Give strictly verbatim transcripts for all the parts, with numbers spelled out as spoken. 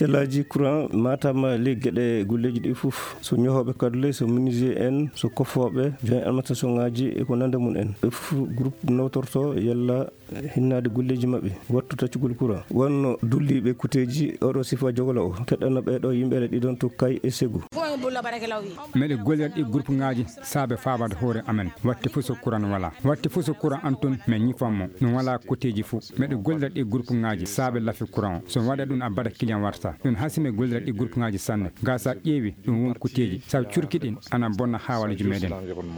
Cellaaji courant Matam, ley geɗe golleeji ɗi fof, so ñohooɓe kadule, so menuisier en, so kofooɓe, joint almatation ŋaaji e ko nande mum en, ɓe fof groupe nawtorto yalla hinnaade golleeji maɓɓe, wattu taccugol courant. Wonno dulliiɓe kuteeji oɗo sifa jogolo o, keɗɗano ɓee ɗo yimɓe ɗiɗon to Kay e Segu. Meɗe gollira ɗi groupe ŋaaji saabe faabade hoore amen. Watti fof so courant wala. Watti fof so courant an tun, min ñifan mo. No wala kuteeji fof. Meɗe gollira ɗi groupe ŋaaji saabe lafi courant o. So waɗa ɗum a bada client warta. Ɗum hasi me gollira ɗi groupe ŋaaji sanne. Ga sa ƴeewi ɗum won kuteeji. Sa curki ɗin ana bonna hawaluji meɗen.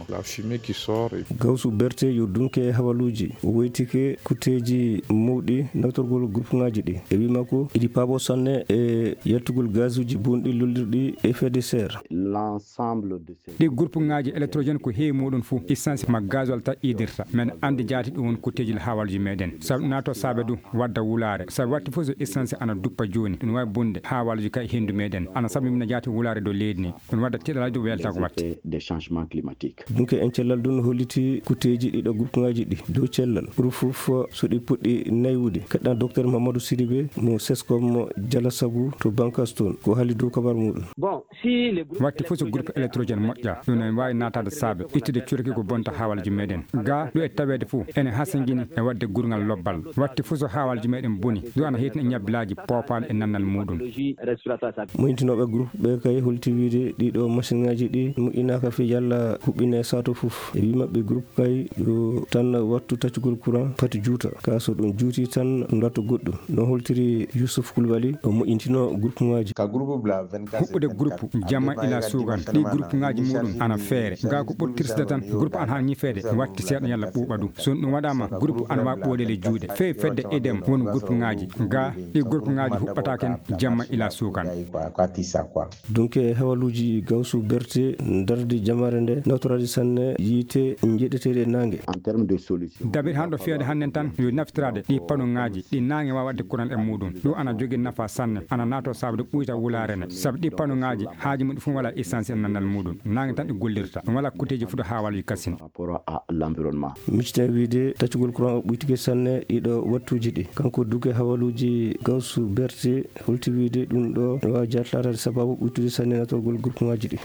La fumée qui sort et Gawsu Berte yo dunke e hawaluuji. O woytike kuteeji mawɗi nawtorgol groupe ŋaaji ɗi. E wii makko, iɗi paabo sanne e yaltugol gazuuji bonɗi lollirɗi effet de serre. L'ensemble de ces Ɗi groupe ŋaaji électrogène ko heewi muɗum fuu, essence ma gasoil ta idirta. Men anndi jaati ɗum won kuteeji hawaluuji meɗen. Sabu naato saabe du wadda wulaare. Sabu watti fof so essence ana duppa jooni, ɗum wawi bonde hawaluuji ka e hendu meɗen. Ana sabu mina jaati wulaare dow leydi ni. Ɗum wadda tiɗalaaji dow weltago watte. Des changements climatiques. Dunke en cellal ɗum holliti kuteeji ɗiɗo groupe ŋaaji ɗi dow cellal. Ɓuri fof so ɗi puɗɗi naywude. Keɗɗan Docteur Mamadou Sidibé mo Sescom Jalasagu to Bankas toon. Ko haali dow kabar muɗum. Bon, si le groupe Watti fof so groupe électrogène moƴƴa, ɗum ne waawi naataade saabe ittude cuurki ko bonta hawaluuji meɗen. Ga ɗo e taweede fof, ene hasingini e waɗde gurngal lobbal. Watti fof so hawaluuji meɗen boni, ɗum ana heytina e ñabbilaaji, poopaali e nannal muɗum. Technologie respiratoire. Moytinooɓe groupe ɓe kay holti wiide ɗiɗo machine ŋaaji ɗi moƴƴinaaka fii yalla huɓɓine saato fof. E wii maɓɓe groupe kay yo tan wattu taccugol courant pati juuta. Ka so ɗum juuti tan ndatto goɗɗum. No holtiri Youssouf Koulibaly, o moƴƴintino groupe ŋaaji. Ka groupe bla vingt-quatre Huɓɓude groupe jamma ila suugan. Ɗi groupe ŋaaji muɗum ana feere. Ga ko ɓuri tirsde tan, groupe ana haa ñifeede, watti seeɗa yalla ɓuuɓa du. So ɗum waɗaama, groupe ana waawi ɓooyde ley juuɗe. Fee fedde idem won groupe ŋaaji. Ga ɗi groupe ŋaaji huɓɓata ken jamma ila suugan. Dunke hawaluuji Gawsu Berte ndardi jamaare nde nawtoraade sanne yiite njeɗeteeɗe e naange. En termes de solution. Dabiri hanɗo fiyade hannden tan yo naftiraade ɗi pano ŋaaji ɗi naange waawa waɗde courant e muɗum. Ɗum ana jogii nafa sanne, ana naato saabude ɓuyta wulaare ne. Sabu ɗi pano ŋaaji haaji muɗum fof wala essence e nannal muɗum. Naange tan ɗi gollirta. Ɗum wala kuteeji fuɗo hawaluuji kasin. Par rapport à l'environnement. Miccita wiide taccugol courant o ɓuytike sanne ɗiɗo wattuuji ɗi. Kanko duke hawaluuji Gawsu Berte holti wiide ɗum ɗo no waawi jaatlaataade sababu ɓuytude sanne natorgol groupe ŋaaji ɗi.